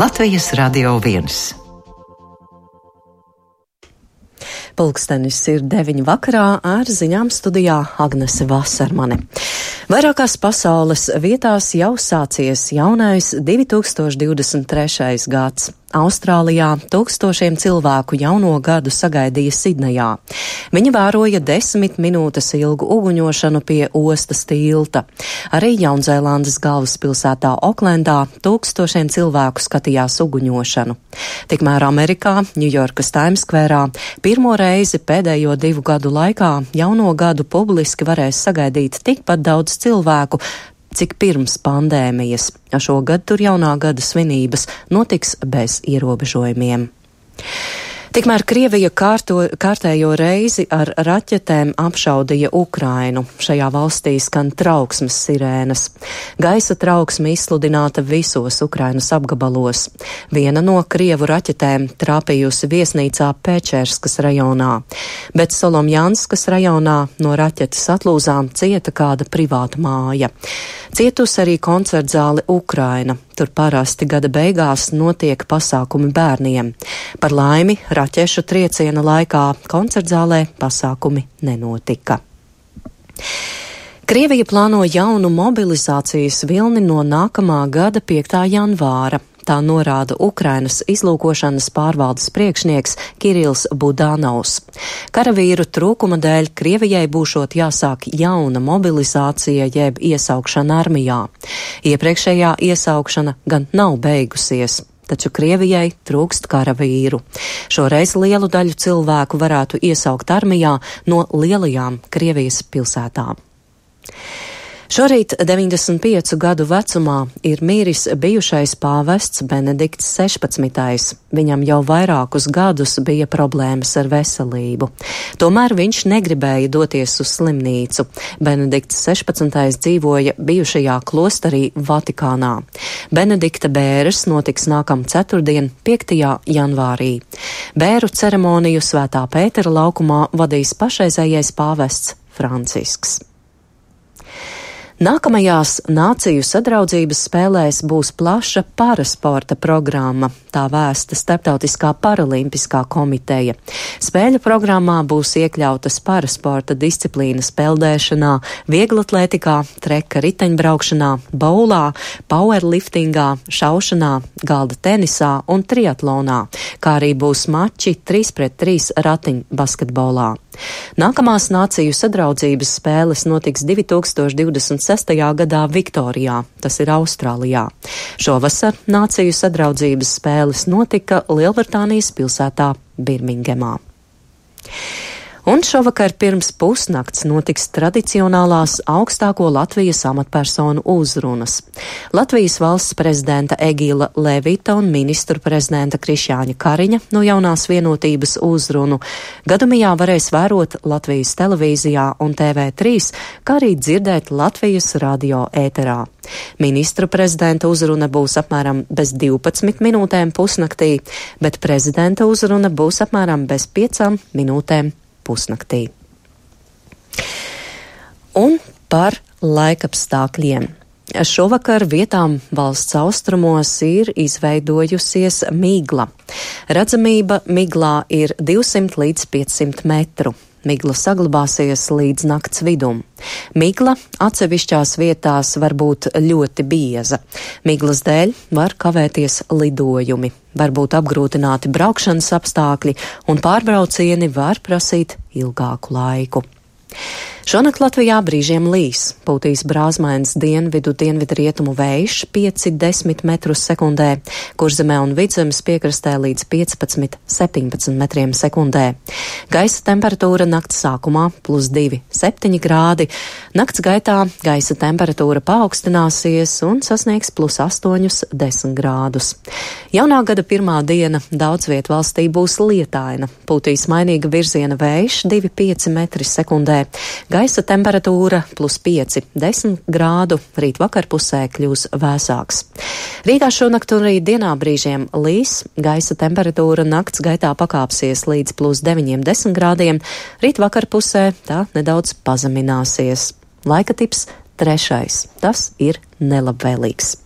Latvijas Radio 1. Pulkstenis ir 9 vakarā, ar ziņām studijā Agnese Vasarmane. Vairākās pasaules vietās jau sācies jaunais 2023. gads. Austrālijā tūkstošiem cilvēku jauno gadu sagaidīja Sidnejā. Viņi vēroja 10 minūtes ilgu uguņošanu pie ostas tilta. Arī Jaunzēlandes galvaspilsētā Oklendā tūkstošiem cilvēku skatījās uguņošanu. Tikmēr Amerikā, Ņujorkas Times Squareā, pirmo reizi pēdējo 2 gadu laikā jauno gadu publiski varēs sagaidīt tikpat daudz cilvēku, cik pirms pandēmijas. Šogad tur jaunā gada svinības notiks bez ierobežojumiem. Tikmēr Krievija kārtējo reizi ar raķetēm apšaudīja Ukrainu. Šajā valstī skan trauksmes sirēnas. Gaisa trauksme izsludināta visos Ukrainas apgabalos. Viena no Krievu raķetēm trāpījusi viesnīcā Pečerskas rajonā, bet Solomjanskas rajonā no raķetes atlūzām cieta kāda privāta māja. Cietusi arī koncertzāle Ukraina. Tur parasti gada beigās notiek pasākumi bērniem. Par laimi, raķešu trieciena laikā koncertzālē pasākumi nenotika. Krievija plāno jaunu mobilizācijas vilni no nākamā gada 5. janvāra. Tā norāda Ukrainas izlūkošanas pārvaldes priekšnieks Kirils Budanovs. Karavīru trūkuma dēļ Krievijai būšot jāsāk jauna mobilizācija jeb iesaukšana armijā. Iepriekšējā iesaukšana gan nav beigusies, taču Krievijai trūkst karavīru. Šoreiz lielu daļu cilvēku varētu iesaukt armijā no lielajām Krievijas pilsētām. Šorīt 95 gadu vecumā ir miris bijušais pāvests Benedikts 16. Viņam jau vairākus gadus bija problēmas ar veselību. Tomēr viņš negribēja doties uz slimnīcu. Benedikts 16. dzīvoja bijušajā klosterī Vatikānā. Benedikta bēres notiks nākam ceturtdien, 5. janvārī. Bēru ceremoniju Svētā Pētera laukumā vadīs pašreizējais pāvests Francisks. Nākamajās Nāciju sadraudzības spēlēs būs plaša parasporta programma, tā vēsta Starptautiskā paralimpiskā komiteja. Spēļu programmā būs iekļautas parasporta disciplīnas peldēšanā, vieglatlētikā, treka riteņbraukšanā, baulā, powerliftingā, šaušanā, galda tenisā un triatlonā, kā arī būs mači 3-3 ratiņbasketbolā. Nākamās Nāciju sadraudzības spēles notiks 2026. gadā Viktorijā, tas ir Austrālijā. Šovasar Nāciju sadraudzības spēles notika Lielbritānijas pilsētā Birmingemā. Un šovakar pirms pusnakts notiks tradicionālās augstāko Latvijas amatpersonu uzrunas. Latvijas valsts prezidenta Egila Levita un ministru prezidenta Krišjāņa Kariņa no jaunās vienotības uzrunu gadumijā varēs vērot Latvijas televīzijā un TV3, kā arī dzirdēt Latvijas radio ēterā. Ministru prezidenta uzruna būs apmēram bez 12 minūtēm pusnaktī, bet prezidenta uzruna būs apmēram bez 5 minūtēm pusnaktī. Un par laikapstākļiem. Šovakar vietām valsts austrumos ir izveidojusies migla. Redzamība miglā ir 200 līdz 500 metru. Migla saglabāsies līdz nakts vidum. Migla atsevišķās vietās var būt ļoti bieza. Miglas dēļ var kavēties lidojumi, var būt apgrūtināti braukšanas apstākļi un pārbraucieni var prasīt ilgāku laiku. Šonakt Latvijā brīžiem līs, pūtīs brāzmains dienvidu-dienvidrietumu vējš 5–10 metrus sekundē, Kurzemē un Vidzemes piekrastē līdz 15–17 metriem sekundē. Gaisa temperatūra nakts sākumā +2–7 grādi, nakts gaitā gaisa temperatūra paaugstināsies un sasniegs +8–10 grādus. Jaunā gada pirmā diena daudz viet valstī būs lietaina, pūtīs mainīga virziena vējš 2–5 metri sekundē. Gaisa temperatūra +5–10 grādu, rīt vakarpusē kļūs vēsāks. Rīgā šonakt un rīt dienā brīžiem līs, gaisa temperatūra nakts gaitā pakāpsies līdz +9–10 grādiem, rīt vakarpusē tā nedaudz pazemināsies. Laika tips 3. Tas ir nelabvēlīgs.